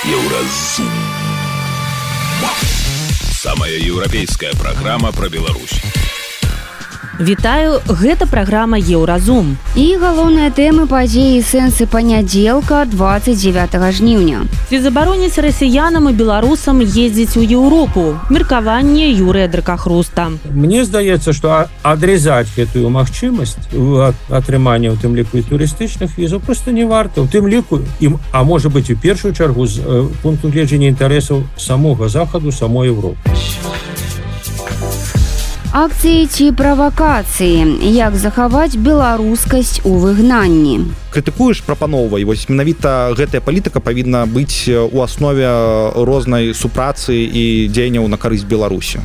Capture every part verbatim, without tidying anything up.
Еўразум. Самая еўрапейская праграма пра Беларусь. Вітаю, гэта праграма Еўразум. І галоўныя тэмы падзеі і сэнсы панядзелка двадцать девятого жніўня. Ці забароніць расіянам і беларусам ездзіць у Еўропу? Меркаванне Юрыя Дракахруста. Мне здаецца, што адрезаць гэтую магчымасць атрымання ў тым ліку і турыстычных візаў проста не варта. У тым ліку, а можа быць у першую чаргу з пункту гледжання інтарэсаў самога Захаду, самой Еўропы. Акцыі ці правакацыі. Як захаваць беларускасць у выгнанні? Крытыкуеш, прапаноўвай. Вось менавіта гэтая палітыка павінна быць у аснове рознай супрацы і дзеянняў на карысць Беларусі.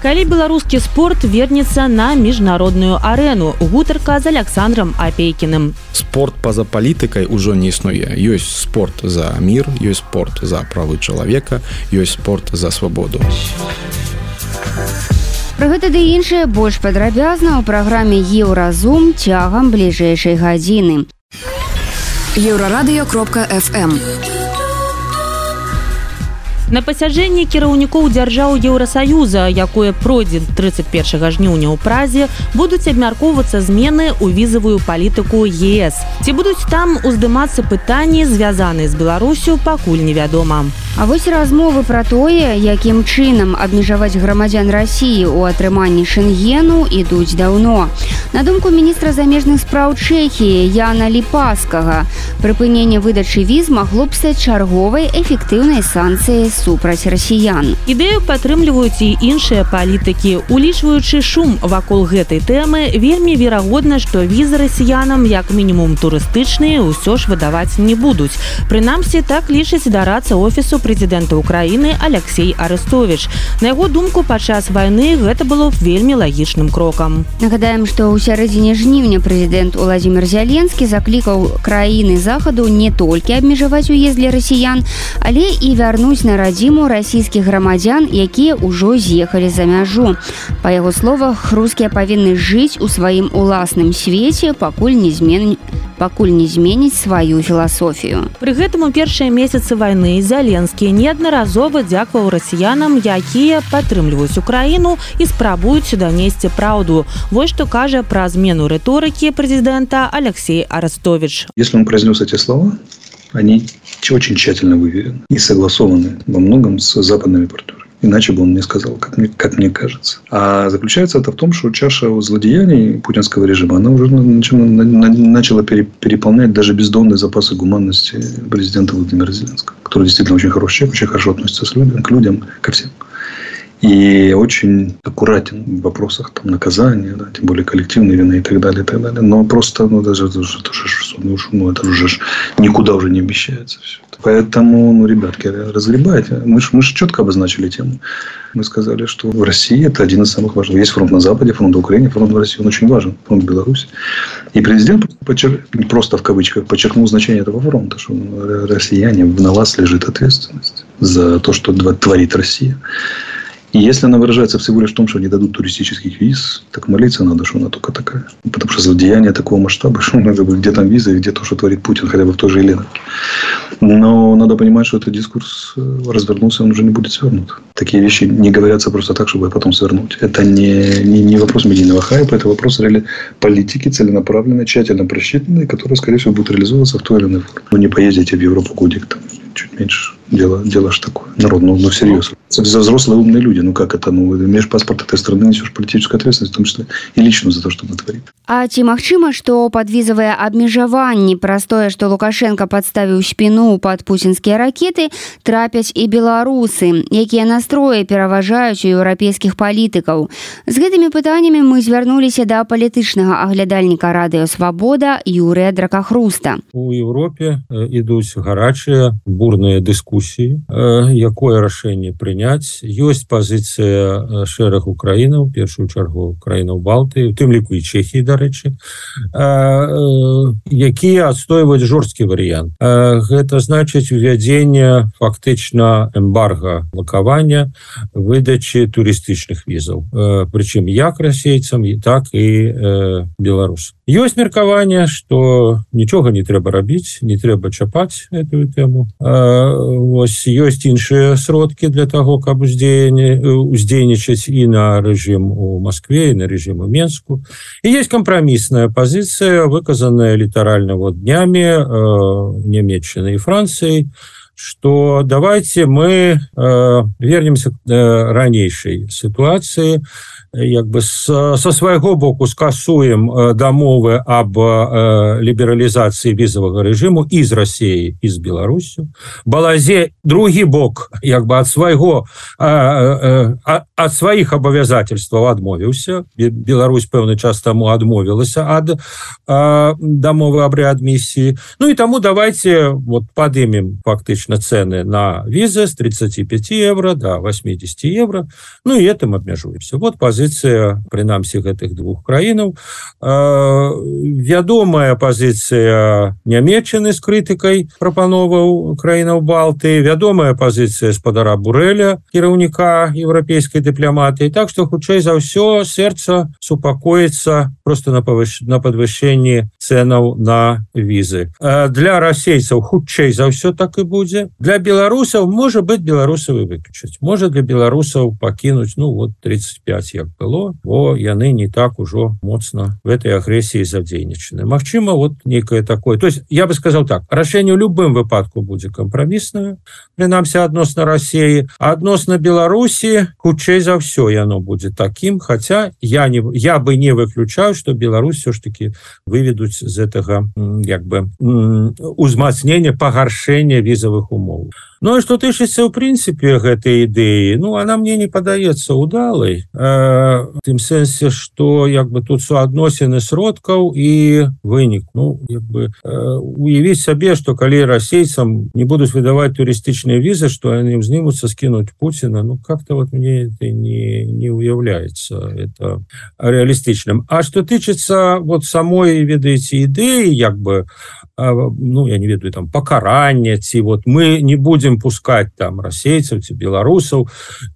Калі беларускі спорт вернецца на міжнародную арэну? Гутарка з Александром Апейкіным. Спорт па-за палітыкай ужо не існуе. Ёсць спорт за мір, ёсць спорт за правы чалавека, ёсць спорт за свабоду. Пра гэта ды іншае больш падрабязна ў праграме Еўразум цягам бліжэйшай гадзіны. еўрарадыё кропка эф эм. На пасяджэнні кіраўнікоў дзяржаў Еўрасаюза, якое пройдзе трыццаць першага жніўня ў Празе, будуць абмяркоўвацца змены ў візавую палітыку ЕС. Ці будуць там уздымацца пытанні, звязаныя з Беларусю, пакуль невядома. А вось размовы пра тое, якім чынам абмежаваць грамадзян Расіі ў атрыманні Шэнгену, ідуць даўно. На думку міністра замежных спраў Чэхіі Яна Ліпаскага, прыпыненне выдачы віз магло б стаць чарговай эфектыўнай санкцыяй супраць расіян. Ідэю падтрымліваюць і іншыя палітыкі. Улічваючы шум вакол гэтай тэмы, вельмі верагодна, што візы расіянам, як мінімум турыстычныя, усё ж выдаваць не будуць. Прынамсі, так лічыць дарацца офісу прэзідэнта Украіны Алексей Арестович. На яго думку, падчас вайны гэта было б вельмі лагічным крокам. Нагадаем, што ў сярэдзіне жніўня прэзідэнт Уладзімір Зяленскі заклікаў краіны Захаду не толькі абмежаваць уезд для расіян, але і вярнуць на радзіму расійскіх грамадзян, якія ўжо з'ехалі за мяжу. Па яго словах, рускія павінны жыць у сваім уласным свеце, пакуль не змен... пакуль не зменіць сваю філасофію. Пры гэтым у першыя месяцы вайны Зяленскі неаднаразова дзякаваў расіянам, якія падтрымліваюць Украіну і спрабуюць данесці праўду. Вось што кажа пра змену рыторыкі прэзідэнта Алексей Арестович. Если он произнес эти слова, они очень тщательно выверены и согласованы во многом с западными партнерами. Иначе бы он не сказал, как мне, как мне кажется. А заключается это в том, что чаша злодеяний путинского режима, она уже начала, начала переполнять даже бездонные запасы гуманности президента Владимира Зеленского, который действительно очень хороший человек, очень хорошо относится с людям, к людям, ко всем. И очень аккуратен в вопросах там, наказания, да, тем более коллективной вины и так далее, и так далее. Но просто, ну, даже это уже, это уже, ну, это уже никуда уже не обещается все это. Поэтому, ну, ребятки, разгребайте. Мы же мы четко обозначили тему. Мы сказали, что в России это один из самых важных. Есть фронт на Западе, фронт в Украине, фронт в России. Он очень важен, фронт в Беларуси. И президент подчер... просто в кавычках подчеркнул значение этого фронта, что россияне, на вас лежит ответственность за то, что творит Россия. И если она выражается всего лишь в том, что не дадут туристических виз, так молиться надо, что она только такая. Потому что злодеяние такого масштаба, что надо бы, где там виза и где то, что творит Путин, хотя бы в той же Еленовке. Но надо понимать, что этот дискурс развернулся, он уже не будет свернут. Такие вещи не говорятся просто так, чтобы потом свернуть. Это не, не, не вопрос медийного хайпа, это вопрос реали политики, целенаправленной, тщательно просчитанной, которая, скорее всего, будет реализовываться в той или иной форме. Ну, не поездите в Европу годик, там, чуть меньше. Дело, дело ж такое. Народ, ну, ну серьезно. За взрослые умные люди. Ну как это? Ну, имеешь паспорт этой страны, несешь политическую ответственность, в том числе и личную за то, что натворит. А ці магчыма, што падвізавыя абмежаванні праз тое, што Лукашенко падставіў спіну пад пуцінскія ракеты, трапяць і беларусы, якія настроі пераважаюць у еўрапейскіх палітыкаў. З гэтымі пытаннямі мы звярнуліся да палітычнага аглядальніка радыё Свабода Юрыя Дракахруста. У Еўропе ідуць гарачыя, бурныя дыскусіі, якое рашэнне прыняць. Ёсць пазіцыя шэрагу краінаў, першую чаргу краінаў Балтыі, у тым ліку і Чэхіі, дарэчы, якія адстойваюць жорсткі варыянт. Гэта значыць увядзенне фактычна эмбарга блакавання выдачы турыстычных візаў. Прычым як расейцам, так і беларусам. Ёсць меркаванне, што нічога не трэба рабіць, не трэба чапаць эту тэму. Вось ёсць іншыя сродкі для таго, каб уздзейнічаць і на рэжым у Маскве, і на рэжым у Менску. І есть кампрамісная пазіцыя, выказаная літаральна вот днямі э, Нямецчыны і Францыі, что давайте мы э, вернемся к э, ранейшей ситуации, як бы с, со свайго боку скасуем э, дамовы об э, лібералізацыі візавага рэжыму і з Россией, і з Беларусью. Балазе другі бок, як бы ад свайго э, э, ад сваіх абавязательстваў адмовіўся. Беларусь пэўны час таму адмовілася ад э, дамовы аб рэадмісіі. Ну і таму давайте вот падымем фактычна цены на визы с тридцати пяти евро до восьмидесяти евро. Ну и этим обмежуемся. Вот позиция, принамсі, гэтых двух краінаў. Вядомая позиция Нямецчыны з крытыкай прапановаў краінаў Балтыі, вядомая позиция спадара Бурэля, кіраўніка еўрапейскай дыпламатыі. Так что, хутчэй за ўсё, сэрца супакоіцца просто на, повыш... на подвышенні ценаў на визы. Для расейцаў хутчэй за ўсё так і будзе. Для беларусаў, можа быть, беларусаў і выключыць. Можа для беларусаў пакінуць, ну вот тридцать пять як было, бо яны не так ужо моцна в этой агрэсіі задзейнічаны. Магчыма, вот некое такое. То есть я бы сказал так, рашэнне ў любым выпадку будзе кампраміснае, прынамсі адносна России, а адносна Беларусі хутчэй за ўсё яно будзе таким, хотя я не я бы не выключаю, что Беларусь все ж таки выведуць з этого як бы узмацнення, пагаршэння візавых умоў. Ну, и что тычыцца, в принципе, гэтай ідэі, ну, она мне не падаецца удалай, э, в тым сэнсе, что, як бы, тут суадносіны сродкаў і вынік. Ну, як бы, э, уявіць сабе, что калі расейцам не будуць выдаваць турыстычныя візы, что они ўзнімуцца скінуць Путина, ну, как-то вот мне это не, не уяўляецца это реалістычным. А что тычыцца вот самой, ведаеце, ідэі, як бы, ну, я не ведаю, там, покарання, ці вот мы не будем пускать там расейцев, ці беларусаў,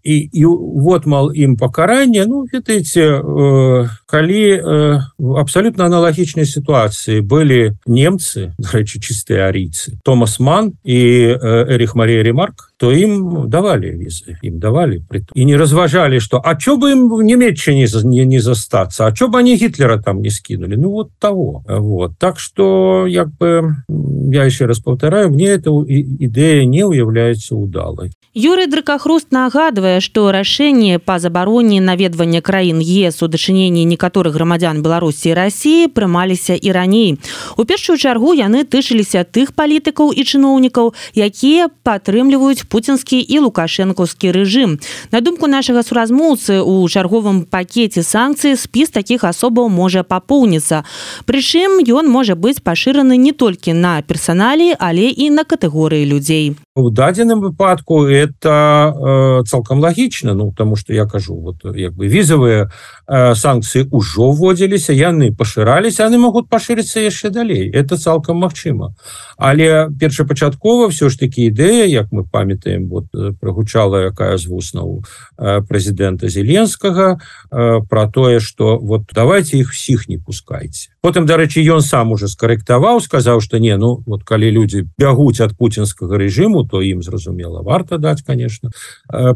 и, и вот, мол, им покарание, ну, ведаеце, э, калі э, в абсолютно аналогичной ситуации были немцы, до речі, чистые арийцы, Томас Манн и э, Эрих Мария Ремарк, то им давали визы, им давали. И не разважали, что а чё бы им в Немеччине не, не застаться, а чё бы они Гитлера там не скинули, ну вот того. Вот. Так что, як бы, я еще раз повторяю, мне эта идея не уявляется удалой. Юрий Дракахруст нагадывае, што рашэнне па забароне наведвання краін ЕС у дачыненні некаторых грамадзян Беларусі і Расіі прымаліся і раней. У першую чаргу яны тычыліся тых палітыкаў і чыноўнікаў, якія падтрымліваюць пуцінскі і лукашэнкаўскі рэжым. На думку нашага суразмоўцы, у чарговым пакеце санкцый спіс такіх асобаў можа папоўніцца. Прычым ён можа быць пашыраны не толькі на персаналі, але і на катэгорыі людзей. В дадзеным выпадку это э, цалкам лагічна, ну, потому что я кажу, вот, як бы, візавыя э, санкцыі ўжо вводзіліся, яны пашыраліся, яны могуць пашырыцца яшчэ далей. Это цалкам магчыма. Але першапачаткова все ж таки ідэя, як мы памятаем, вот, прагучала якая з вуснаў э, прэзідэнта Зеленскага э, про тое, что вот давайте их всіх не пускайте. Потым, дарэчы, ён сам уже скарэктаваў, сказаў, что не, ну, вот калі людзі бягуць ад пуцінскага рэжыму, то ім, зразумела, варта даць, конечно,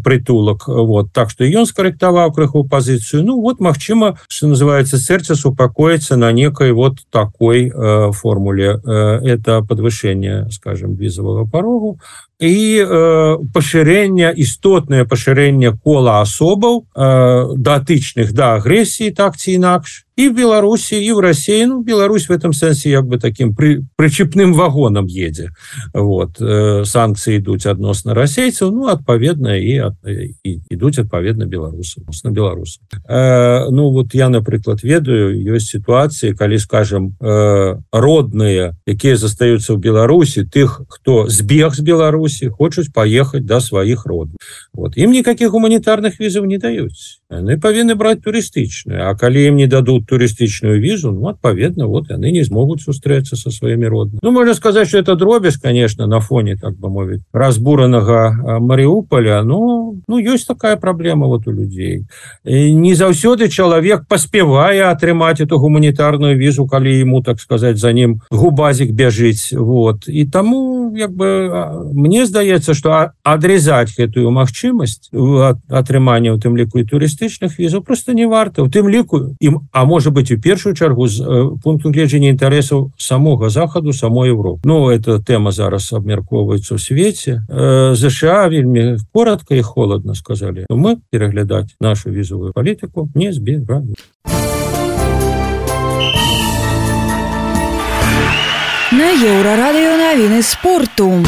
притулак. Вот. Так что ён скарэктаваў крыху пазіцыю. Ну, вот, магчыма, что называется, сэрца супакоіцца на некой вот такой э, формуле. Э, это подвышение, скажем, візавага парогу і э, пашырэнне, істотнае пашырэнне кола асобаў, э, датычных да агрэсіі, так ці інакш, и в Беларуси, и в России. Ну, Беларусь в этом sense как бы таким при, причепным вагоном едет. Вот. Э, санкции идут адносна расейцев, ну, отповедно, и, от, и идут отповедно белорусам. На белорусам. Э, ну, вот я, например, ведаю, есть ситуации, когда, скажем, э, родные, которые застаются в Беларуси, тех, кто сбег с Беларуси, Беларусі, хочуць паехаць да сваіх родных. Вот. Ім никаких гуманітарных візаў не даюць. Яны павінны браць турыстычную, а калі ім не дадут турыстычную візу, ну, адпаведна, вот яны не змогуць сустрэцца со сваімі роднымі. Ну, можно сказать, что это дробязь, конечно, на фоне, так бы мовіць, разбуранага Маріуполя, но ну, ёсць такая праблема вот у людей. И не заўсёды чалавек паспевае атрымаць эту гуманітарную візу, калі ему, так сказать, за ним губазик бяжыць. Вот. И тому, як бы, мне здаецца, что адрезаць гэтую магчымасць атрымання, у тым ліку і турыстычных візаў, просто не варта. У тым ліку, ім, а может быть, у першую чаргу з пункту гледжання інтарэсаў самога Захаду, самой Европы. Ну, эта тема зараз абмяркоўваецца ў свеце. ЗША вельмі коротко и холодно сказали. Мы переглядаць нашу візовую палітыку не збіраем. На Еўрарадыё навіны спорту.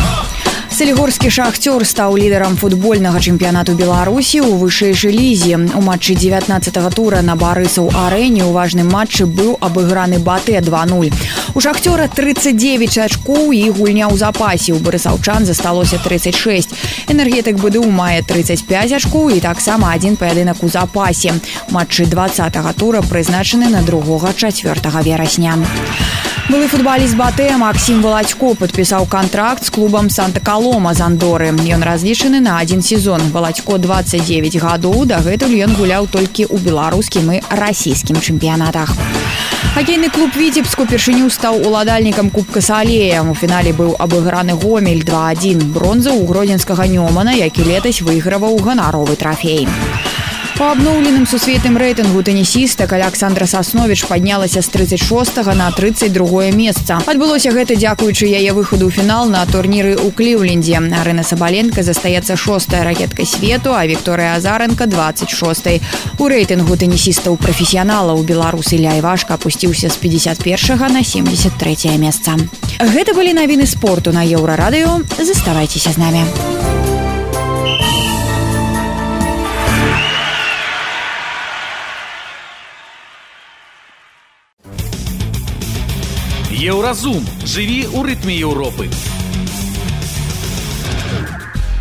Салігорскі «Шахтёр» стаў лідарам футбольнага чэмпіянату Беларусі ў вышэйшай лізе. У матчы дзевятнаццатага тура на Барысаў-арэне ў важным матчы быў абыграны БАТЭ два нуль. У «Шахтёра» тридцать девять ачкоў і гульня ў запасе. У барысаўчан засталося тридцать шесть. Энергетык БДУ мае тридцать пять ачкоў і таксама адзін паядынак у запасе. Матчы двадцатага тура прызначаны на другога-чацвёртага верасня. Былы футболіст БАТЭ Максим Володько падпісаў кантракт з клубам Санта-Колома з Андоры. Ён разлічаны на адзін сезон. Володько двадцать девять гадоў, дагэтуль ён гуляў толькі ў беларускім і расійскім чэмпіянатах. Хакейны клуб «Віцебск» упершыню стаў уладальнікам Кубка Салея. У фінале быў абыграны Гомель два адзін. Бронза ў гродзенскага Нёмана, які летась выйграваў ганаровы трафей. По абноўленым сусветным рэйтынгу тэнісістак Аляксандра Сасновіч паднялася з тридцать шостага на тридцать другое месца. Адбылося гэта дзякуючы яе выхаду ў фінал на турніры ў Кліўлендзе. Арына Сабаленка застаецца шостая ракеткай свету, а Вікторыя Азаренка двадцать шостай. У рэйтынгу тэнісістаў-прафесіяналаў беларус Ілля Івашка апусціўся з пятьдесят первага на семьдесят третье месца. Гэта былі навіны спорту на Еўрарадыё. Заставайцеся з намі. Еўразум. Жыві ў рытме Еўропы.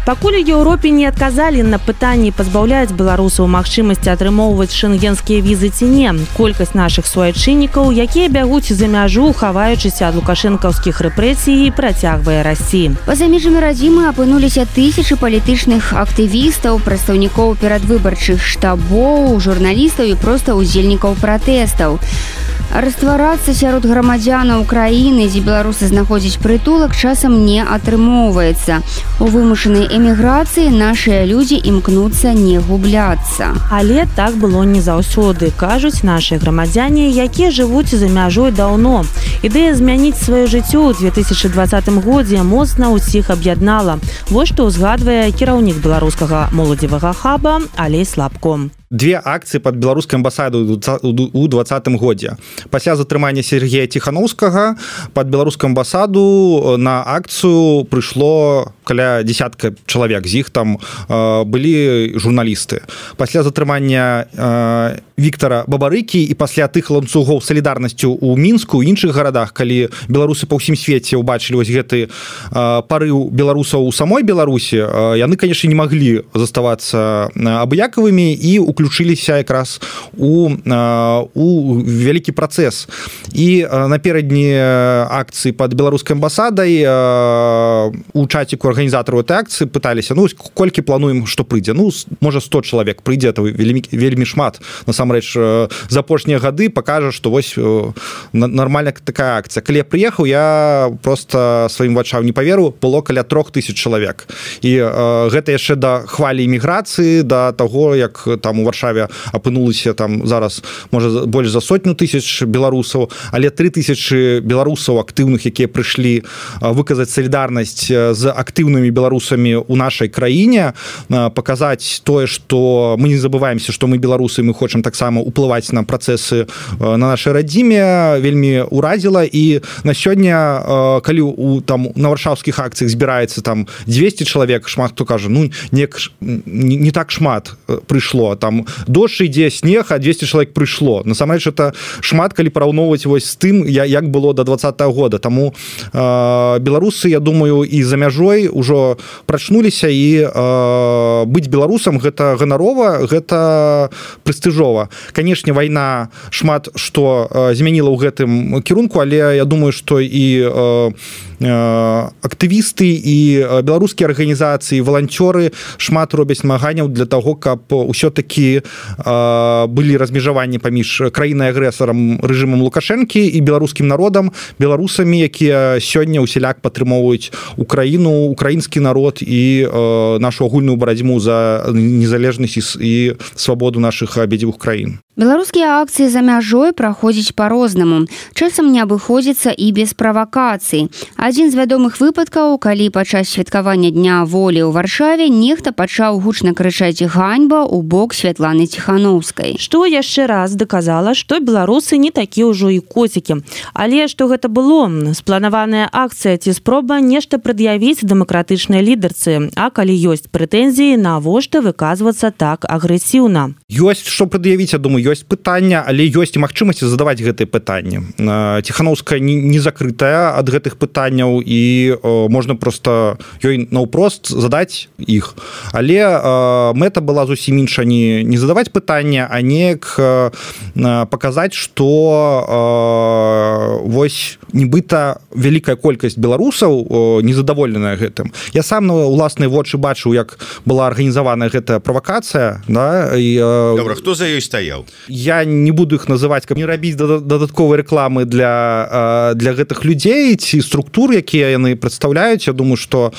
Пакуль у Еўропе не адказалі на пытанні пазбаўляць беларусаў магчымасці атрымоўваць шэнгенскія візы ці не, колькасць нашых суайчыннікаў, якія бягуць за мяжу, хаваючыся ад лукашэнкаўскіх рэпрэсій, працягвае расці. Па-за межамі радзімы апынуліся тысячы палітычных актывістаў, прадстаўнікоў перадвыбарчых штабоў, журналістаў і проста удзельнікаў пратэстаў. Растварацца сярод грамадзянаў краіны, дзе беларусы знаходзяць прытулак, часам не атрымоўваецца. У вымушанай эміграцыі нашыя людзі імкнуцца не губляцца. Але так было не заўсёды, кажуць нашыя грамадзяне, якія жывуць за мяжой даўно. Ідэя змяніць сваё жыццё ў две тысячы двадцатым годзе моцна ўсіх аб'яднала. Вось што ўзгадвае кіраўнік беларускага моладзевага хаба Алей Слабко. Две акцыі пад беларускай амбасадай у двадцатым годзе. Пасля затрымання Сергея Ціханаўскага пад беларускую амбасаду на акцыю прыйшло каля десятка чалавек, з іх там э, былі журналісты. Пасля затрымання э, Віктара Бабарыкі і пасля тых ланцугоў салідарнасцю ў Мінску, у іншых гарадах, калі беларусы па ўсім свеце ўбачылі вось гэты э, парыў беларусаў у самой Беларусі, э, яны, канешне, не маглі заставацца абыякавымі і уключыліся якраз у, у вялікі працэс. І наперадні акцыі пад беларускай амбасадай у чаціку арганізатараў этой акцыі пыталіся, ну, колькі плануем, што прыйдзе. Ну, можа, сто чалавек прыйдзе, это вельмі, вельмі шмат. Насамрэч, за апошнія гады пакажа, што вось нармальная такая акцыя. Калі я прыехаў, я проста сваім вачам не паверу, было каля трох тысяч чалавек. І гэта яшчэ да хвалі іміграцыі, да таго, як там у Варшаве апынулася там зараз, можа, больш за сотню тысяч беларусаў, але тры тысячы беларусаў актыўных, якія прыйшлі выказаць салідарнасць з актыўнымі беларусамі ў нашай краіне, паказаць тое, што мы не забываемся, што мы беларусы, мы хочам таксама ўплываць на працэсы на нашай радзіме, вельмі ўразіла. І на сёння, калі у, там, на варшаўскіх акцыях збіраецца там двести чалавек, шмат хто кажа, ну, не, не так шмат прыйшло, там дождж ідзе, снег, а двести чалавек прыйшло. Насамрэч, это шмат, калі параўноўваць вось з тым, як было до двадцатага года. Таму э, беларусы, я думаю, і за мяжой ўжо прачнуліся і э, быць беларусам гэта ганарова, гэта прэстыжова. Канешне, вайна шмат што э, змяніла ў гэтым кірунку, але я думаю, што і э, актывісты і беларускія арганізацыі, валанцёры шмат робяць намаганняў для таго, каб ўсё-такі былі размежаванні паміж краінай агрэсарам рэжымам Лукашэнкі і беларускім народам, беларусамі, якія сёння ўсяляк падтрымоўваюць Украіну, украінскі народ і нашу агульную барацьбу за незалежнасць і свабоду нашых абедзвюх краін. Беларускія акцыі за мяжой праходзяць па-рознаму. Часам не абыходзіцца і без правакацый. Адзін з вядомых выпадкаў, калі падчас святкавання Дня волі ў Варшаве нехта пачаў гучна крычаць ганьба ў бок Святланы Ціханаўскай. Што яшчэ раз даказала, што беларусы не такі ўжо і коцікі. Але што гэта было? Спланаваная акцыя ці спроба нешта прад'явіць дэмакратычнай лідарцы. А калі ёсць прэтэнзіі, навошта выказвацца так агрэсіўна? Ёсць што прад'явіць, я думаю, ёсць пытання, але ёсць і магчымасці задаваць гэтыя пытанні. Ціханаўская не закрытая ад гэтых пытанняў і можна проста ёй наўпрост задаць іх. Але мэта была зусім інша, не, не задаваць пытання, а неяк паказаць, што вось нібыта вялікая колькасць беларусаў незадаволеная гэтым. Я сам на ўласныя вочы бачыў, як была арганізаваная гэтая правакацыя, да, і Добра, хто за ёй стаяў? Я не буду іх называць, каб не рабіць дадатковай рэкламы для, для гэтых людзей ці структур, якія яны прадстаўляюць. Я думаю, што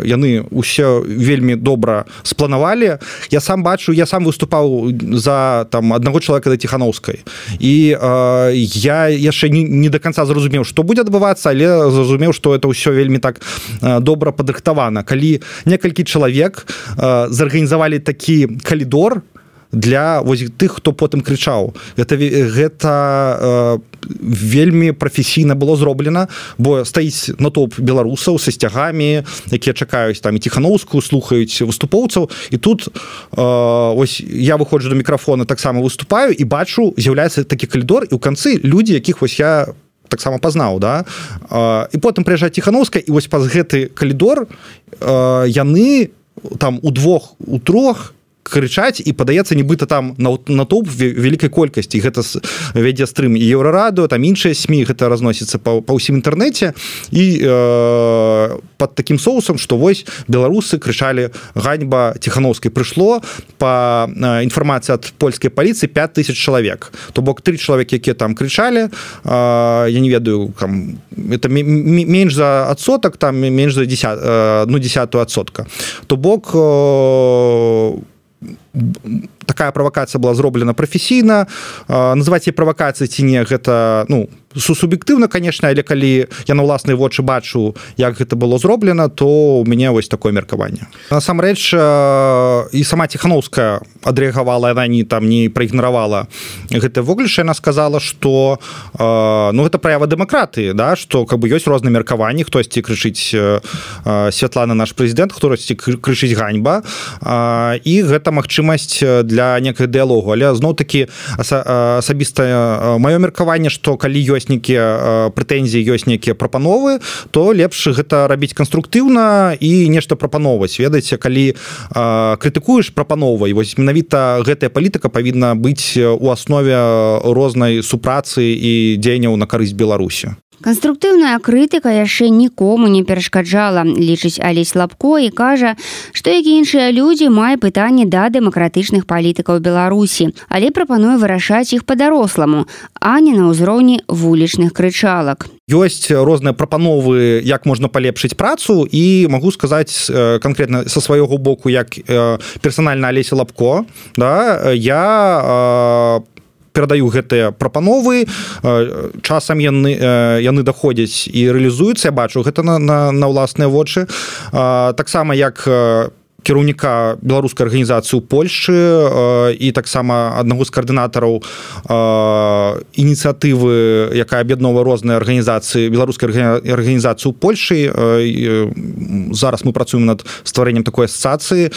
яны ўсё вельмі добра спланавалі. Я сам бачу, я сам выступаў за там аднаго чалавека да Ціханаўскай. І я яшчэ не, не до конца зразумеў, што будзе адбывацца, але зразумеў, што это ўсё вельмі так добра падрыхтавана. Калі некалькі чалавек зарганізавалі такі калідор для вось тых, хто потым крычаў. Гэта, гэта э, вельмі прафесійна было зроблена, бо стаіць натоўп беларусаў са сцягамі, якія чакаюць там і Ціханаўскую, слухаюць выступоўцаў, і тут э, ось я выходжу до мікрафона, таксама выступаю і бачу, з'яўляецца такі калідор, і ў канцы людзі, якіх вось я таксама пазнаў, да? Э, і потым прыязджае Ціханаўская, і вось праз гэты калідор э, яны там удвох, у трох крычаць, і падаецца нібыта там натоўп вялікай колькасці. Гэта вядзе стрым і Еўрарадыо, там іншыя СМІ, гэта разносіцца па, па ўсім інтэрнэце, і э, пад такім соусам, што вось беларусы крычалі ганьба Ціханаўскай. Прыйшло па э, інфармацыі ад польскай паліцыі пяць тысяч чалавек. То бок тры чалавекі, якія там крычалі, э, я не ведаю, там, это менш за адсотак, там менш за десят, э, ну, десятую адсотка. То бок э, такая правакацыя была зроблена прафесійна. Называць яе правакацыяй ці не, гэта, ну, суб'ектыўна, конечно, але калі я на ўласныя вочы бачу, як гэта было зроблена, то у мяне вось такое меркаванне. Насамрэч, і сама Ціханаўская адрэагавала, яна не там не праігнаравала гэта вогліш, яна сказала, што ну, гэта праява дэмакратыі, да, што как бы ёсць розныя меркаванні, хтосьці крычыць Святлана наш прэзідэнт, хтосьці крычыць ганьба, і гэта магчымасць для некага дыялогу. Але зноў-такі асабіста маё меркаванне, што калі ёсць нейкія прэтэнзіі, ёсць нейкія прапановы, то лепш гэта рабіць канструктыўна і нешта прапановваць. Ведаеце, калі крытыкуеш, прапановвай. Вось менавіта гэтая палітыка павінна быць у аснове рознай супрацы і дзеянняў на карысць Беларусі. Канструктыўная крытыка яшчэ нікому не перашкаджала, лічыць Алесь Лапко і кажа, што як і іншыя людзі мае пытанні да дэмакратычных палітыкаў Беларусі, але прапануе вырашаць іх па-даросламу, а не на ўзроўні вулічных крычалак. Ёсць розныя прапановы, як можна палепшыць працу, і магу сказаць канкрэтна са свайго боку, як персанальна Алеся Лапко, да, я перадаю гэтыя прапановы, часам яны, яны даходзяць і рэалізуюцца, я бачу гэта на, на, на ўласныя вочы. Таксама як кіраўніка беларускай арганізацыі ў Польшчы і таксама аднаго з каардынатараў ініцыятывы, якая аб'ядноўвае розныя арганізацыі, беларускай арганізацыі ў Польшчы. Зараз мы працуем над стварэннем такой асацыяцыі,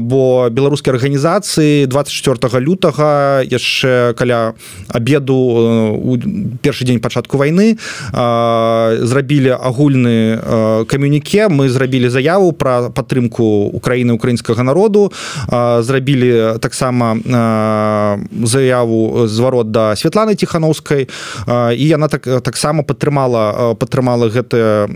бо беларускія арганізацыі дваццаць чацвёртага лютага яшчэ каля абеду у першы дзень пачатку вайны зрабілі агульны камюніке. Мы зрабілі заяву пра падтрымку Украіны, украінскага народу, зрабілі таксама заяву зварот да Святланы Ціханаўскай, і яна так таксама падтрымала падтрымала гэта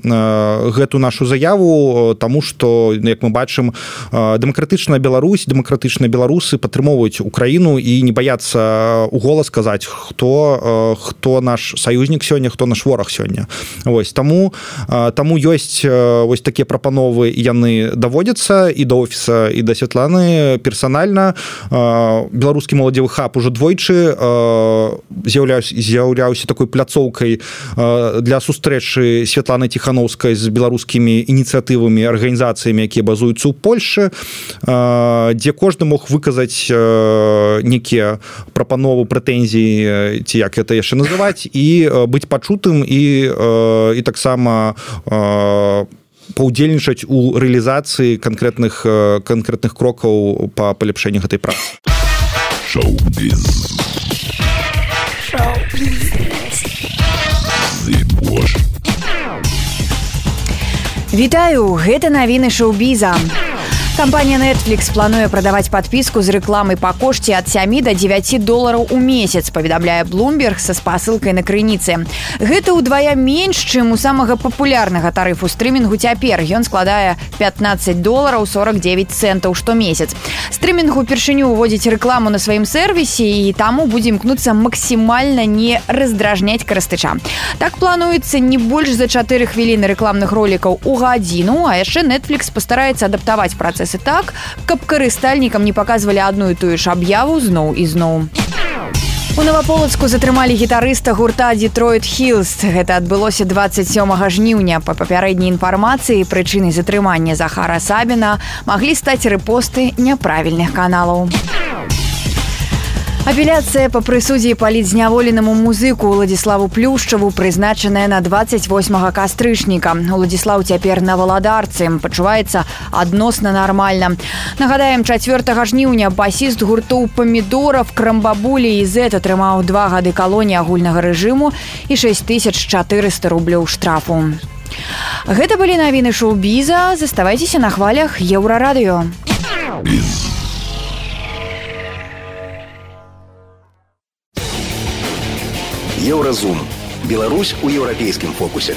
гэту нашу заяву, таму што, як мы бачым, дэмакратычная Беларусь, дэмакратычныя беларусы падтрымоўваюць Украіну і не баяцца у голас сказаць, хто хто наш саюзнік сёння, хто наш вораг сёння. Вось таму таму ёсць вось такія прапановы, яны даводзяцца і да офіса, і да Святланы персанальна. Беларускі моладзевы хаб ужо двойчы з'яўляўся такой пляцоўкай для сустрэчы Святланы Ціханаўскай з беларускімі ініцыятывамі, арганізацыямі, якія базуюцца ў Польшчы, дзе кожны мог выказаць некія прапановы, прэтэнзіі, ці як гэта яшчэ называць, і быць пачутым і, і таксама паўдзельнічаць у рэалізацыі канкрэтных канкрэтных крокаў па паляпшэнні гэтай працы. Шоу-біз. Вітаю, гэта навіны шоу-біза. Кампанія Netflix плануе прадаваць падпіску з рэкламай па кошце ад сямі да дзевяці долараў у месяц, паведамляе Bloomberg са спасылкай на крыніцы. Гэта ўдвая менш, чым у самага папулярнага тарыфу стрымінгу цяпер. Ён складае пятнаццаць долараў сорок девять центаў штомесяц. Стрымінг упершыню ўводзіць рэкламу на сваім сервісе, і таму будзе імкнуцца максімальна не раздражняць карыстыча. Так плануецца не больш за чатыры хвіліны рэкламных ролікаў у гадзіну, а яшчэ Netflix пастараецца адаптаваць працэс так, каб карыстальнікам не паказвалі адну і тую ж аб'яву зноў і зноў. У Новаполацку затрымалі гітарыста гурта Detroit Hills. Гэта адбылося дваццаць сёмага жніўня. Па папярэдняй інфармацыі, прычынай затрымання Захара Сабіна маглі стаць рэпосты няправільных каналаў. Апеляцыя па прысудзе палітзняволенаму музыку Уладзіславу Плюшчаву прызначаная на дваццаць восьмага кастрычніка. Уладзіслаў цяпер на Валадарцы, пачуваецца адносна нармальна. Нагадаем, чацвёртага жніўня басіст гуртоў Памідоров, Крамбабулі і Зет атрымаў два гады калоніі агульнага рэжыму і шэсць тысяч чатырыста рублёў штрафу. Гэта былі навіны шоу-біза. Заставайцеся на хвалях Еўрарадыё. Еўразум. Беларусь у еўрапейскім фокусе.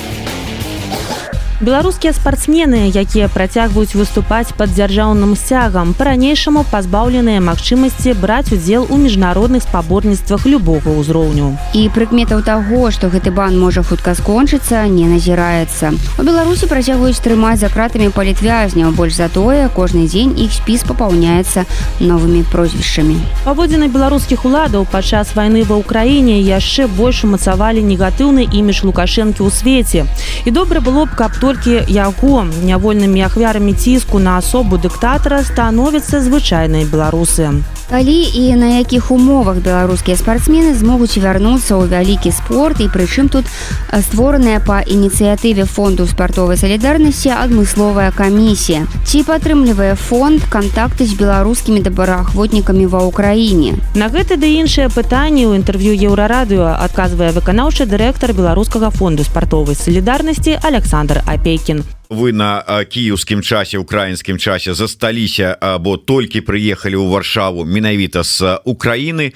Беларускія спартсмены, якія працягваюць выступаць пад дзяржаўным сцягам, па-ранейшаму пазбаўленыя магчымасці браць удзел у міжнародных спаборніцтвах любога ўзроўню. І прыкметаў таго, што гэты бан можа хутка скончыцца, не назіраецца. У Беларусі працягваюць трымаць за кратамі палітвязняў, больш за тое, кожны дзень іх спіс папаўняецца новымі прозвішчамі. Паводзіны беларускіх уладаў падчас вайны ва ўкраіне яшчэ больш умацавалі негатыўны імідж Лукашэнкі ў свеце. І добра было б, каб толькі яго нявольнымі ахвярамі ціску на асобу дыктатара становяцца звычайныя беларусы. Калі і на якіх умовах беларускія спартсмены змогуць вярнуцца ў вялікі спорт, і прычым тут створаная па ініцыятыве фонду спартовай салідарнасці адмысловая камісія. Ці падтрымлівае фонд кантакты з беларускімі добраахвотнікамі ва ўкраіне? На гэта ды іншыя пытанні ў інтэрв'ю Еўрарадыё адказвае выканаўчы дырэктар беларускага фонду спартовай салідарнасці Александр Апейкін. Вы на кіеўскім часе, украінскім часе засталіся або толькі прыехалі ў Варшаву менавіта з Украіны.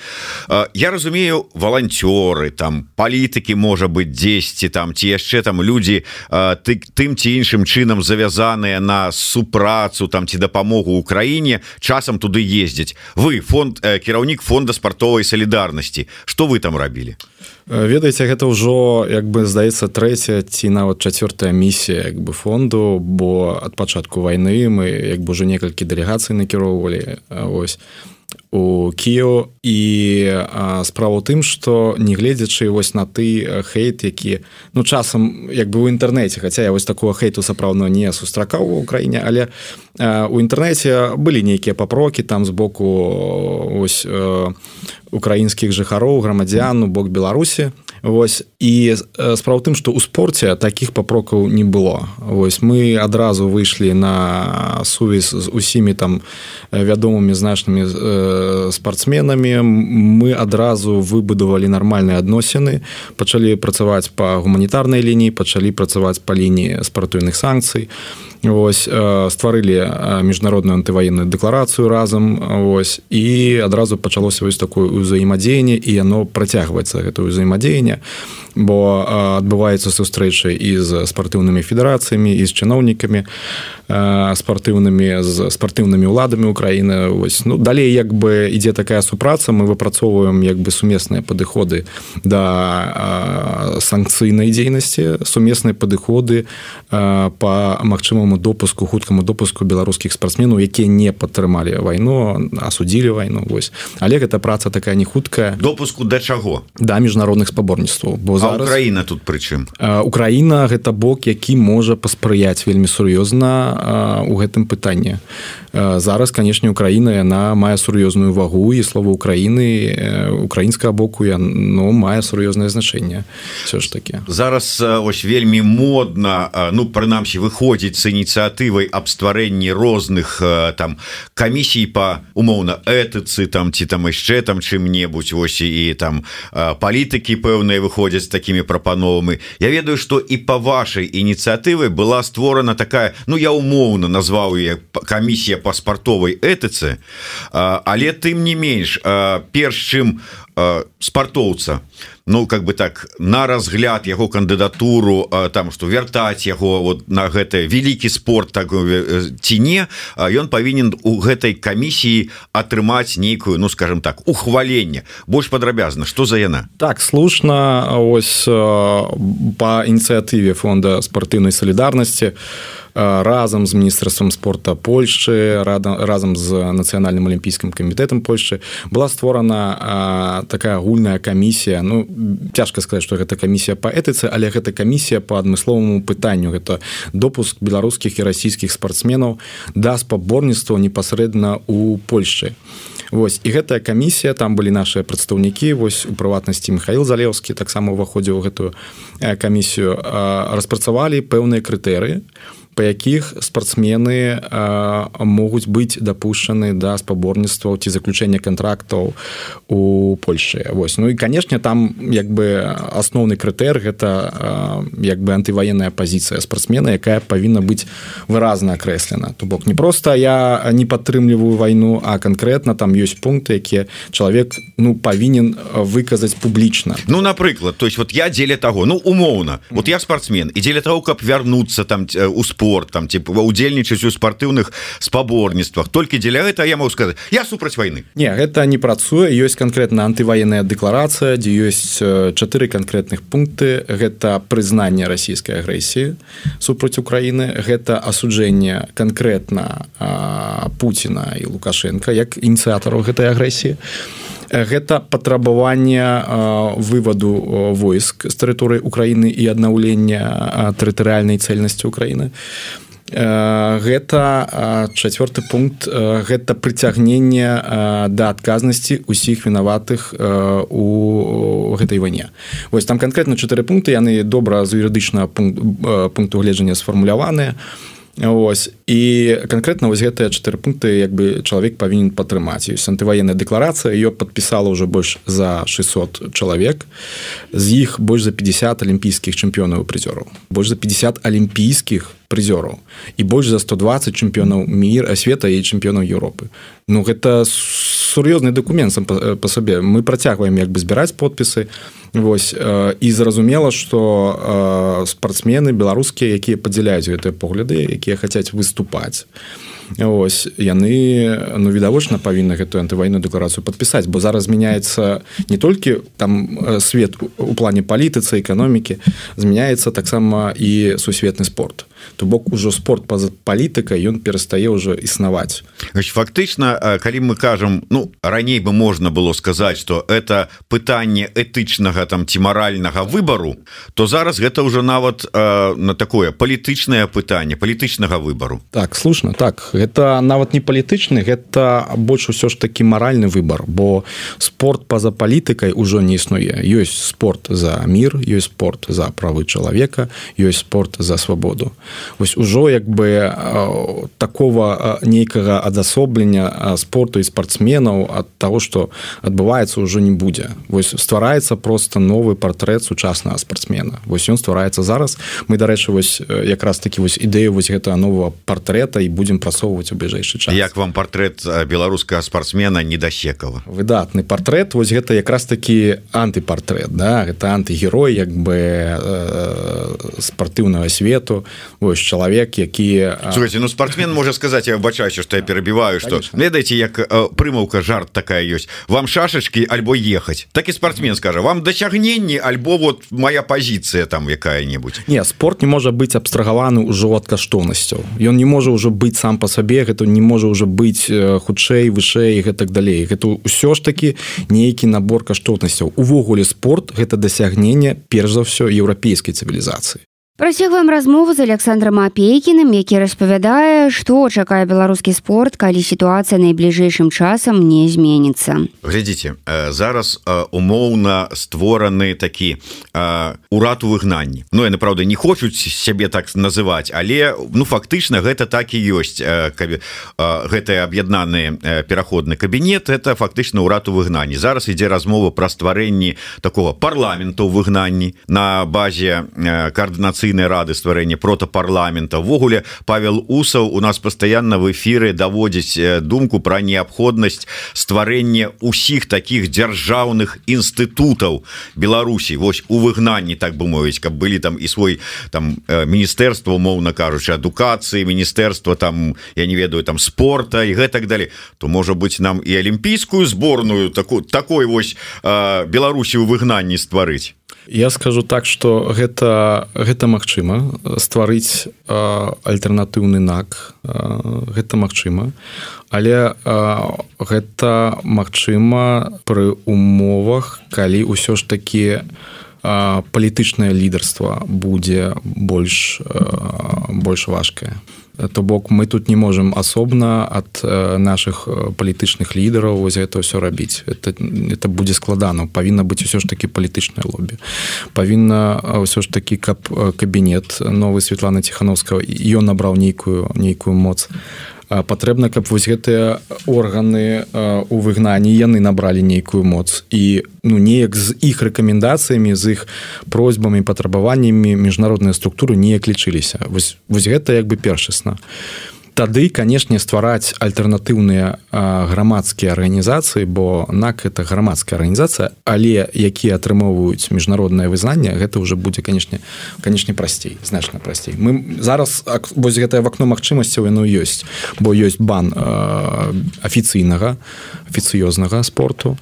Я разумею, валанцёры, там палітыкі, можа быць, дзесьці там ці яшчэ там людзі ты, тым ці іншым чынам завязаныя на супрацу там ці дапамогу ўкраіне, часам туды ездзяць. Вы фонд кіраўнік фонда спартовай салідарнасці. Што вы там рабілі? Ведаеце, гэта ўжо, як бы, здаецца, трэцяя ці нават чацвёртая місія, як бы, фонду, бо ад пачатку вайны мы, як бы, ўжо некалькі дэлегацый накіроўвалі. Ось. У у Кіеў і справа ў тым, што нягледзячы вось на ты хейт, які ну часам як бы ў інтэрнэце, хаця я вось такого хейту сапраўдна не сустракаў у Украіне, але у інтэрнэце былі нейкія папрокі там з боку ось украінскіх жыхароў, грамадзян у бок Беларусі. Вось і справа ў тым, што ў спорце такіх папрокаў не было. Вось мы адразу выйшлі на сувязь з усімі там вядомымі значнымі спартсменамі. Мы адразу выбудавалі нармальныя адносіны, пачалі працаваць па гуманітарнай лініі, пачалі працаваць па лініі спартыўных санкцый. Вось стварылі міжнародную антываенную дэкларацыю разам, вось і адразу пачалося вось такое ўзаемадзеянне, і яно працягваецца гэтае ўзаемадзеянне, бо адбываюцца сустрэчы і з спартыўнымі федэрацыямі, і з чыноўнікамі спартыўнымі, з спартыўнымі ўладамі Украіны. Вось ну далей як бы ідзе такая супраца, мы выпрацоўваем як бы сумесныя падыходы да санкцыйнай дзейнасці, сумесныя падыходы па магчымаму допуску, хуткаму допуску беларускіх спартсменаў, якія не падтрымалі вайну, асудзілі вайну. Вось. Але гэта праца такая не хуткая. Допуску да чаго? Да міжнародных спаборніцтваў. Бо а зараз Украіна тут пры чым? Украіна гэта бок, які можа паспрыяць вельмі сур'ёзна у гэтым пытанні. Зараз, канешне, Украіна яна мае сур'ёзную вагу, і слова Украіны украінскага боку яно мае сур'ёзнае значэнне. Все ж таки. Зараз ось вельмі модна, ну прынамсі выходзіць з ініцыятывай аб стварэнні розных там камісій па умоўна этыцы там ці там яшчэ там чым-небудзь, вось і там палітыкі пэўныя выходзяць з такімі прапановамі. Я ведаю, што і па вашай ініцыятыве была створана такая, ну я умоўна назваў яе камісія па спартовай этыцы, але тым не менш, перш чым спартоўца, ну как бы так на разгляд яго кандыдатуру там што вяртаць яго вот на гэты вялікі спорт так ці не, ён павінен у гэтай камісіі атрымаць нейкую, ну скажем так, ухваленне. Больш падрабязна, што за яна? Так, слушна, ось па ініцыятыве фонда спартыўнай салідарнасці разам з міністэрствам спорта Польшчы, разам з нацыянальным алімпійскім камітэтам Польшчы была створана такая агульная камісія. Ну цяжка сказаць, што гэта камісія па этыцы, але гэта камісія па адмысловаму пытанню. Гэта допуск беларускіх і расійскіх спартсменаў да спаборніцтваў непасрэдна ў Польшчы. Вось і гэтая камісія, там былі нашыя прадстаўнікі, вось у прыватнасці Михаил Залеўскі таксама ўваходзіў у гэтую камісію, распрацавалі пэўныя крытэрыі, па якіх спартсмены могуць быць дапушчаны да спаборніцтваў ці заключэння кантрактаў у Польшчы. Вось. Ну і, канешне, там як бы асноўны крытэр гэта як бы антываенная пазіцыя спартсмена, якая павінна быць выразна акрэслена. То бок не проста я не падтрымліваю вайну, а канкрэтна там ёсць пункты, якія чалавек ну павінен выказаць публічна. Ну, напрыклад, то есть вот я дзеля таго, ну умоўна, вот я спартсмен, і дзеля таго, каб вярнуцца там у спорт, там типа удзельнічаць у спартыўных спаборніцтвах, толькі дзеля гэта я могу сказаць, я супраць вайны. Не, гэта не працуе, ёсць канкрэтна антываенная дэкларацыя, дзе ёсць чатыры канкрэтных пункты. Гэта прызнанне расійскай агрэсіі супраць Украіны, гэта асуджэнне канкрэтна Пуціна і Лукашенка як ініцыятараў гэтай агрэсіі. Гэта патрабаванне вываду войск з тэрыторыі Украіны і аднаўлення тэрытарыяльнай цэльнасці Украіны. Гэта чацвёрты пункт, гэта прыцягненне да адказнасці ўсіх вінаватых у гэтай вайне. Вось там канкрэтна чатыры пункты, яны добра з юрыдычнага пункту гледжання сфармуляваныя. Ось. І канкрэтна вось гэтыя чатыры пункты як бы чалавек павінен падтрымаць. Ёсць антываенная дэкларацыя, ее падпісала ўжо больш за шэсцьсот чалавек, з іх больш за пятьдесят алімпійскіх чэмпіёнаў і прызёраў, больш за пятьдесят алімпійскіх прызёраў і больш за сто двадцать чэмпіёнаў міра, света і чэмпіёнаў Еўропы. Ну гэта сур'ёзны дакумент сам па сабе. Мы працягваем як бы збіраць подпісы. Вось, і зразумела, што спартсмены беларускія, якія падзяляюць гэтыя погляды, якія хацяць выступаць, ось, яны ну, відавочна павінны гэтую антываенную дэкларацыю падпісаць, бо зараз змяняецца не толькі там свет у плане палітыцы, эканомікі, змяняецца таксама і сусветны спорт. то бок ужо спорт па-за палітыкай ён перастае ўжо існаваць. Фактычна, калі мы кажам, ну раней бы можна было сказаць, што это пытанне этычнага там ці маральнага выбару, то зараз гэта ўжо нават э, на такое палітычнае пытанне палітычнага выбару. Так, слушна, так, гэта нават не палітычны, гэта больш усё ж такі маральны выбар, бо спорт па-за палітыкай ужо не існуе. Ёсць спорт за мір, ёсць спорт за правы чалавека, ёсць спорт за свабоду. Вось ужо як бы э, такого э, нейкага адасоблення э, спорту і спартсменаў ад таго, што адбываецца, ўжо не будзе. Вось ствараецца просто новы партрэт сучаснага спартсмена. Вось ён ствараецца зараз. Мы, дарэчы, вось якраз такі вось ідэю вось гэтага новага партрэта і будзем прасоўваць у бліжэйшы час. Як вам партрэт беларускага спартсмена Недасекава? Выдатны партрэт, вось гэта якраз такі антыпартрэт, да? Гэта антыгерой як бы э, спартыўнага свету. Вось чалавек, які... Слухайте, ну спартсмен можа сказаць, я бачаюся, што я перабіваю, што, ведаеце, як э, прымаўка, жарт такая ёсць. Вам шашачкі альбо ехаць. Так і спартсмен скажа, вам дасягненні альбо вот моя пазіцыя там якая-небудзь. Не, спорт не можа быць абстрагаваны ўжо ад каштоўнасцяў. Ён не можа ўжо быць сам па сабе, гэта не можа ўжо быць хутчэй, вышэй і гэтак далей. Гэта ўсё ж такі нейкі набор каштоўнасцяў. Увогуле спорт гэта дасягненне перш за ўсё еўрапейскай цывілізацыі. Працягваем размову з Александром Апейкіным, які распавядае, што чакае беларускі спорт, калі сітуацыя найбліжэйшым часам не зменіцца. Глядзіце, зараз умоўна створаны такі урад у выгнанні. Ну, яны, праўда, не хочуць сябе так называць, але ну фактычна гэта так і ёсць. Гэты аб'яднаны пераходны кабінет, это фактычна урад у выгнанні. Зараз ідзе размова пра стварэнні такого парламента ў выгнанні на базе координации рады стварэння протапарламента. Ввогуле Павел Усаў у нас пастаянна в эфіры даводзіць думку пра неабходнасць стварэння ўсіх такіх дзяржаўных інстытутаў Беларусі, вось у выгнанні, так бы мовіць, каб былі там і свой там міністэрства, умоўна кажучы, адукацыі, міністэрства там, я не ведаю, там спорта і гэтак далей. То можа быць нам і алімпійскую зборную таку, такой вось э, Беларусі ў выгнанні стварыць. Я скажу так, што гэта, гэта магчыма стварыць э, альтэрнатыўны НАК, э, гэта магчыма, але э, гэта магчыма пры умовах, калі ўсё ж такі э, палітычнае лідарства будзе больш, э, больш важкае. То бок мы тут не можем асобна ад наших палітычных лідараў вось гэта ўсё рабіць. Это, это будзе складана. Павінна быць усё ж такі палітычнае лобі. Павінна ўсё ж такі, каб кабінет новы Светланы Ціхановскага, ён набраў нейкую, нейкую моц. Патрэбна, каб вось гэтыя органы у выгнанні яны набралі нейкую моц і ну неяк з іх рэкамендацыямі, з іх просьбамі, патрабаваннямі міжнародныя структуры неяк лічыліся. Вось, вось гэта як бы першасна. Тады, канешне, ствараць альтэрнатыўныя грамадскія арганізацыі, бо НАК это грамадская арганізацыя, але якія атрымоўваюць міжнароднае вызнанне, гэта ўжо будзе, канешне, канешне прасцей, значна прасцей. Мы зараз вось гэтае вакно магчымасцяў яно ёсць, бо ёсць бан афіцыйнага, афіцыёзнага спорту.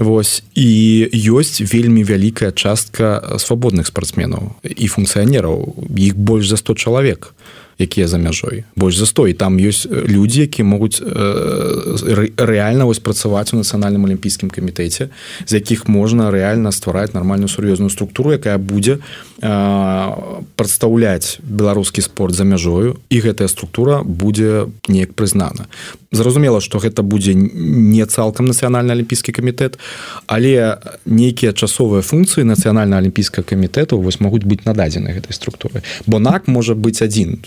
Вось, і ёсць вельмі вялікая частка свабодных спартсменаў і функцыянераў, іх больш за сто чалавек, якія за мяжой, больш за сто, і там ёсць людзі, які могуць э, рэальна вось працаваць у нацыянальным алімпійскім камітэце, з якіх можна рэальна ствараць нармальную сур'ёзную структуру, якая будзе э, прадстаўляць беларускі спорт за мяжою, і гэтая структура будзе неяк прызнана. Зразумела, што гэта будзе не цалкам нацыянальны алімпійскі камітэт, але нейкія часовыя функцыі нацыянальна алімпійскага камітэту вось могуць быць нададзены гэтай структуры. Бо НАК можа быць адзін.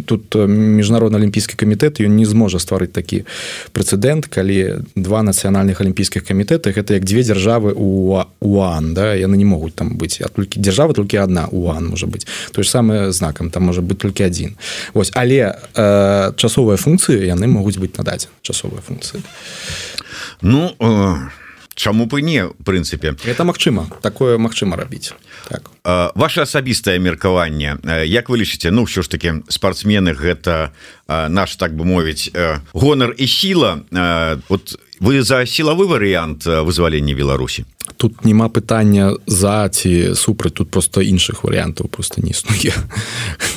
Тут міжнародны алімпійскі камітэт ён не зможа стварыць такі прэцэдэнт, калі два нацыянальных алімпійскіх камітэты гэта як дзве дзяржавы у ОАН, да? Яны не могуць там быць, а толькі дзяржава толькі адна ОАН можа быць. Тое ж самае знакам, там можа быць толькі адзін. Вось, але э, часовыя функцыі яны могуць быць нададзены, часовыя функцыі. Ну э... Чаму б і не, в прынцыпе. Гэта магчыма, такое магчыма рабіць. Так. Ваше асабістае меркаванне, як вы лічыце, ну ўсё ж такі спартсмены гэта наш, так бы мовіць, гонар і сіла. Вот вы за сілавы варыянт вызвалення Беларусі? Тут няма пытання за ці супраць, тут просто іншых варыянтаў просто не існуе.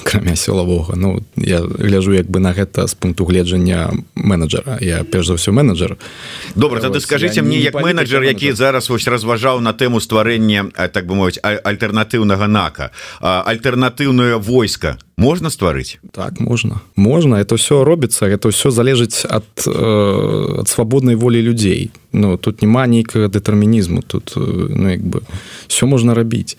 акрамя сілавога. Ну, я гляжу як бы на гэта з пункту гледжання менеджера. Я перш за ўсё менеджер. Добра, тады скажыце мне, як менеджер, які зараз вось разважаў на тэму стварэння, так бы мовіць, альтэрнатыўнага НАКа, альтэрнатыўнае войска можна стварыць? Так, можна. Можна, это ўсё робіцца, это ўсё залежыць ад, э, ад свабоднай волі людзей. Ну, тут няма нейкага дэтэрмінізму, тут, ну, як бы, ўсё можна рабіць.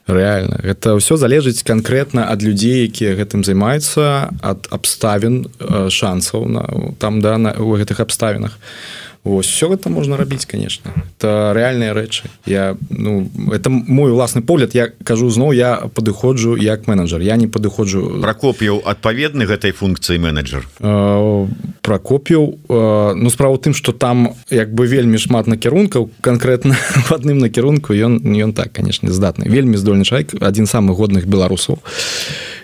Реально, гэта ўсё залежыць канкрэтна ад людзей, якія гэтым займаюцца, ад абставін, шансаў на, там, да, на, у гэтых абставінах. Вось, все гэта можна рабіць, конечно. Это рэальныя рэчы. Я, ну, это мой уласны погляд. Я кажу зноў, я падыходжу як менеджер. Я не падыходжу... Пракоп'еў адпаведны гэтай функцыі менеджер? Э, Пракоп'еў, э, ну, справа ў тым, што там як бы вельмі шмат накірункаў, канкрэтна в адным накірунку ён, ён так, конечно, здатны. Вельмі здольны чалавек, адзін з самых годных беларусаў,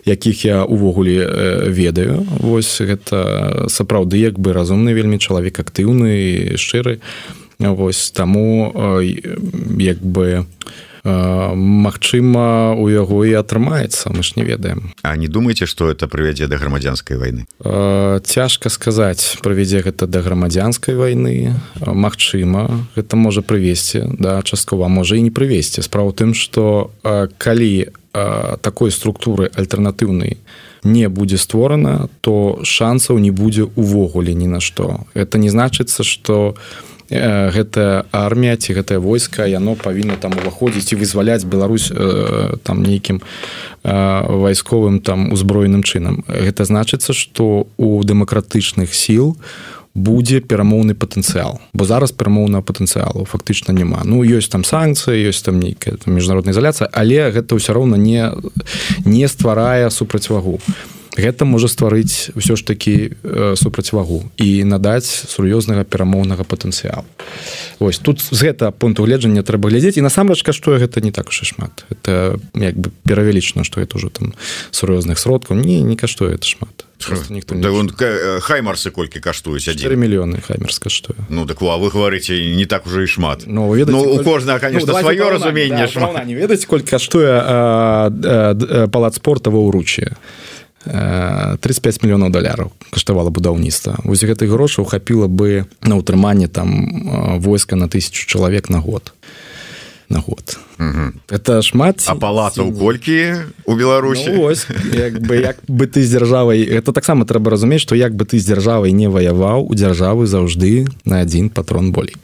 якіх я увогуле э, ведаю. Вось гэта сапраўды як бы разумны вельмі чалавек, актыўны, шчыры. Вось таму як бы магчыма у яго і атрымаецца, мы ж не ведаем. А не думаеце, што это прывядзе да грамадзянскай вайны? Цяжка сказаць, прывядзе гэта да грамадзянскай вайны. Магчыма, гэта можа прывесці, да, часткова, можа і не прывесці. Справа ў тым, што калі такой структуры альтэрнатыўнай не будзе створана, то шансаў не будзе увогуле ні на што. Это не значыцца, што гэтая армія ці гэтае войска, яно павінна там уваходзіць і вызваляць Беларусь там нейкім вайсковым там узброеным чынам. Гэта значыцца, што у дэмакратычных сіл будзе перамоўны патэнцыял, бо зараз перамоўнага патэнцыялу фактычна няма. Ну, ёсць там санкцыі, ёсць там нейкая там міжнародная ізаляцыя, але гэта ўсё роўна не, не стварае супрацьвагу. Гэта можа стварыць ўсё ж такі э, супрацьвагу і надаць сур'ёзнага перамоўнага патэнцыялу. Вось, тут з гэтага пункту гледжання трэба глядзець, і насамрэч каштуе гэта не так уж і шмат. Это як бы перавялічана, што гэта ўжо там сур'ёзных сродкаў. Не, не каштуе это шмат. Да, он, хаймарсы колькі каштуюць? чатыры мільёны хаймарс каштуе. Ну, так а вы говорите, не так уже і шмат. Ну, ведаце, ну у коль... кожнага, конечно, ну, сваё разуменне да, шмат. Не ведаце, колькі каштуе а, а, а, палац спорта ва ўруччы? тридцать пять мільёнаў даляраў каштавала будаўніцтва. Вось гэтых грошаў хапіла бы на ўтрыманне там войска на тысячу чалавек на год. На год. Угу. Это шмат. А палацаў колькі у Беларусі? Ну, ось, як бы, як бы ты з дзяржавай... Это таксама трэба разумець, што як бы ты з дзяржавай не ваяваў, у дзяржавы заўжды на адзін патрон болей.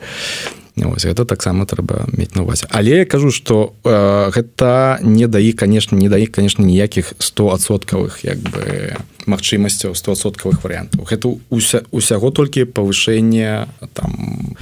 Ось, гэта таксама трэба мець на ўвазе. Але я кажу, што э, гэта не дае, конечно, не дае, конечно, ніякіх стоадсоткавых як бы магчымасцяў, стоадсоткавых варыянтаў. Гэта уся, усяго толькі павышэнне там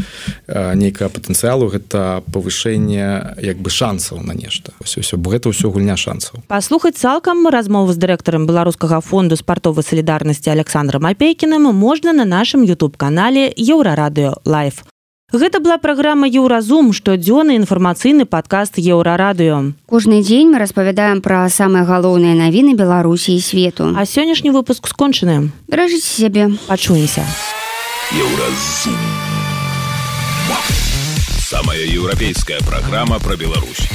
э, нейкага патэнцыялу, гэта павышэнне як бы шансаў на нешта. Ось, усё, бо гэта ўсё гульня шансаў. Паслухаць цалкам размову з дырэктарам Беларускага фонду спартовай салідарнасці Александрам Апейкіным можна на нашым YouTube-канале Еўрарадыё Лайв. Гэта была праграма «Еўразум», штодзённы інфармацыйны падкаст «Еўрарадыё». Кожны дзень мы распавядаем пра самыя галоўныя навіны Беларусі і свету. А сённяшні выпуск скончаны. Беражыце сябе. Пачуемся. «Еўразум». Самая еўрапейская праграма пра Беларусь.